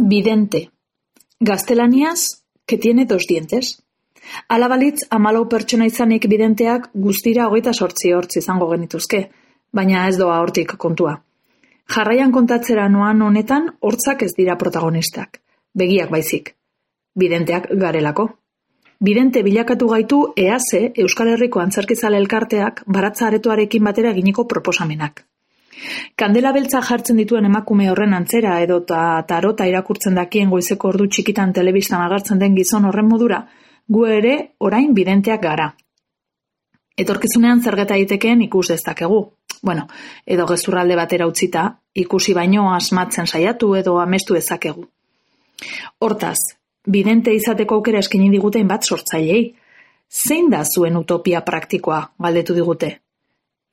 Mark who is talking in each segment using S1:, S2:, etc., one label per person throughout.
S1: Vidente. Gaztelaniaz, que tiene 2 dientes. Hala balitz, 14 pertsona izanik bidenteak guztira 28 hortz izango genituzke, baina ez doa hortik kontua. Jarraian kontatzera noan honetan, hortzak ez dira protagonistak. Begiak baizik. Bidenteak garelako. Bidente bilakatu gaitu EASE, Euskal Herriko Antzerkizale Elkarteak, baratza aretoarekin batera eginiko proposamenak. Kandela beltza jartzen dituen emakume horren antzera edo tarota irakurtzen dakien goizeko ordu txikitan telebistan agertzen den gizon horren modura, gu ere orain bidenteak gara. Etorkizunean zergeta itekeen ikus dezakegu. Bueno, edo gezurralde batera utzita, ikusi baino asmatzen saiatu edo amestu dezakegu. Hortaz, bidente izateko aukera eskaini diguten bat sortzailei. Zein da zuen utopia praktikoa, galdetu digute?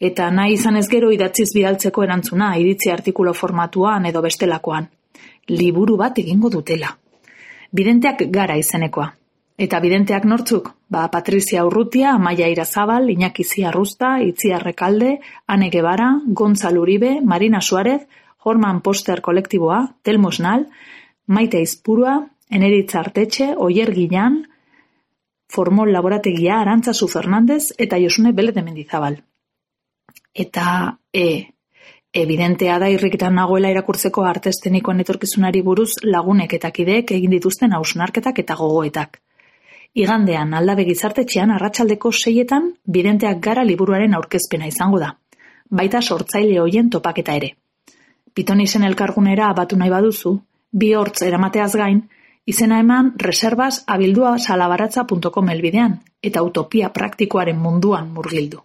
S1: Eta nahi izan ez gero idatziz bidaltzeko erantzuna, iritzi artikulo formatuan edo bestelakoan. Liburu bat egingo dutela. Bidenteak gara izenekoa. Eta bidenteak nortzuk? Patrizia Urrutia, Amaia Irazabal, Iñaki Ziarruzta, Itziar Rekalde, Ane Guevara, Gontzal Uribe, Marina Suárez, Horman Poster kolektiboa, Telmo Esnal, Maite Izpurua, Eneritza Artetxe, Oier Guillan, Formol Laborategia, Arantzazu Fernandez eta Josune Bele de Mendizabal. Eta evidentea da irrikitan nagoela irakurtzeko arte eszenikoen etorkizunari buruz lagunek eta kideek egin dituzten hausnarketak eta gogoetak. Igandean Aldabe Gizartetxean arratsaldeko 6etan bidenteak gara liburuaren aurkezpena izango da. Baita sortzaile hoien topaketa ere. Pitonisen elkargunera abatu nahi baduzu, 2 hortz eramateaz gain, izena eman reservas abildua salabaratza.com elbidean eta utopia praktikoaren munduan murgildu.